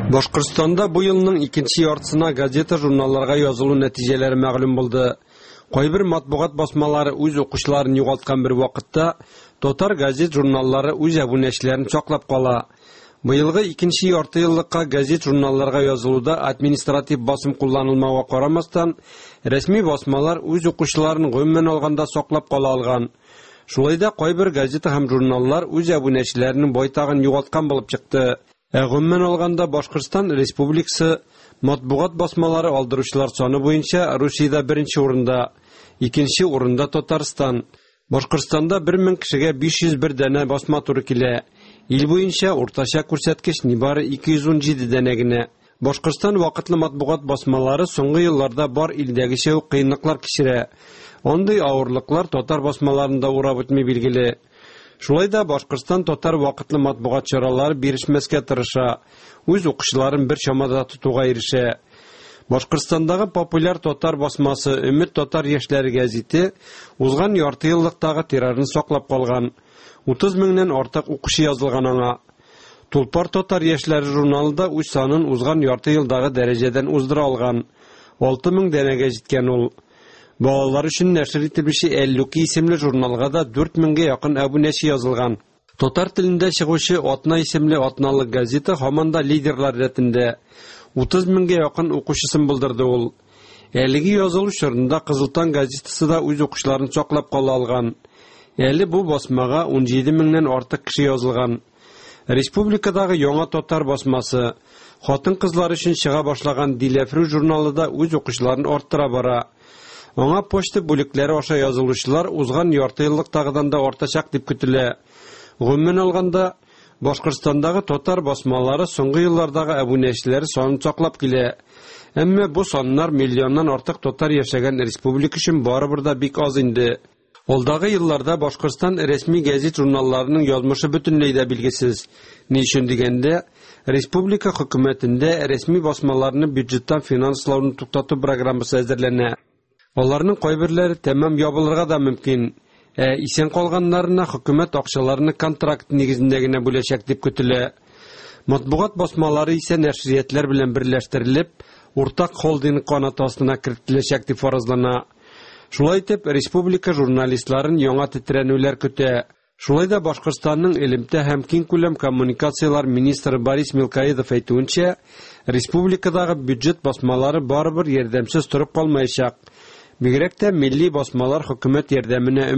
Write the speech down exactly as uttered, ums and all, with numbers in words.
Башкортстанда бу елның икенче яртысына газета-журналларга язылу нәтиҗәләре мәгълүм булды. Кайбер матбугат басмалары үз укучыларын югалткан бер вакытта, татар газет-журналлары үз әбүнәчеләрен саклап кала. Быелгы икенче ярты еллыкка газет-журналларга язылуда административ басым кулланылмауга карамастан, рәсми басмалар үз укучыларын гомумән алганда саклап кала алган. Шулай да кайбер газета һәм журналлар үз әбүнәчеләренең байтагын югалткан булып чыкты. Ә гомумән алганда Башкортстан Республикасы матбугат басмалары алдыручылар саны буенча Русиядә беренче урында, икенче урында Татарстан. Башкортстанда бер мең кешегә биш йөз бер данә басма туры килә. Ил буенча уртача күрсәткеч нибары ике йөз ун җиде данә генә. Башкортстан вакытлы матбугат басмалары соңгы елларда бар илдәгечә үк кыенлыклар кичерә. Андый авырлыклар татар басмаларында урап үтми билгеле. Шулай да Башкортстан татар вакытлы матбугат чаралары бирешмәскә тырыша, үз укучыларын бер чамада тотуга ирешә. Башкортстандагы популяр татар басмасы Өмет татар яшьләре гәзите узган ярты еллыктагы тиражын саклап калган. Утыз меңнән артык укучы язылган аңа. Тулпар татар яшьләре журналы да үз санын узган ярты елдагы дәрәҗәдән уздыра алган. Алты мең данәгә җиткән ул. Балалар өчен нәшер ителүче Әллүки исемле журналга да дүрт меңгә якын әбүнәче язылган. Татар телендә чыгучы Атна исемле атналык газета һаман да лидерлар рәтендә. Утыз меңгә якын укучысын булдырды ул. Әлеге язылу чорында Кызыл таң газетасы да үз укучыларын саклап кала алган. Әле бу басмага ун җиде меңнән артык кеше язылган. Республикадагы яңа татар басмасы хатын-кызлар өчен чыга башлаган Диләфрү журналы да үз укучыларын арттыра бара. Аңа почта бүлекләре аша язылучылар узган ярты еллыктагыдан да артачак дип көтелә. Гомумән алганда, Башкортстандагы татар басмалары соңгы еллардагы әбүнәчеләре санын саклап килә. Әмма бу саннар миллионнан артык татар яшәгән республика өчен барыбер дә бик аз инде. Алдагы елларда Башкортстан рәсми газет журналларының язмышы бөтенләй дә билгесез. Ни өчен дигәндә, республика хөкүмәтендә рәсми басмаларны бюджеттан финанслауны туктату программасы әзерләнә. Аларның кайберләре тәмам ябылырга да мөмкин. Ә исән калганнарына хөкүмәт акчаларны контракт нигезендә генә бүләчәк дип көтелә. Матбугат басмалары исә нәшриятләр белән берләштерелеп, уртак холдинг канаты астына кертеләчәк дип фаразлана. Шулай итеп, республика журналистларын яңа тетрәнүләр көтә. Шулай да Башкортстанның элемтә һәм киңкүләм коммуникациялар министры Борис Мелкоедов әйтүенчә, республикадагы бюджет басмалары барыбер ярдәмсез торып калмаячак. Бигрәк тә милли басмалар хөкүмәт ярдәменә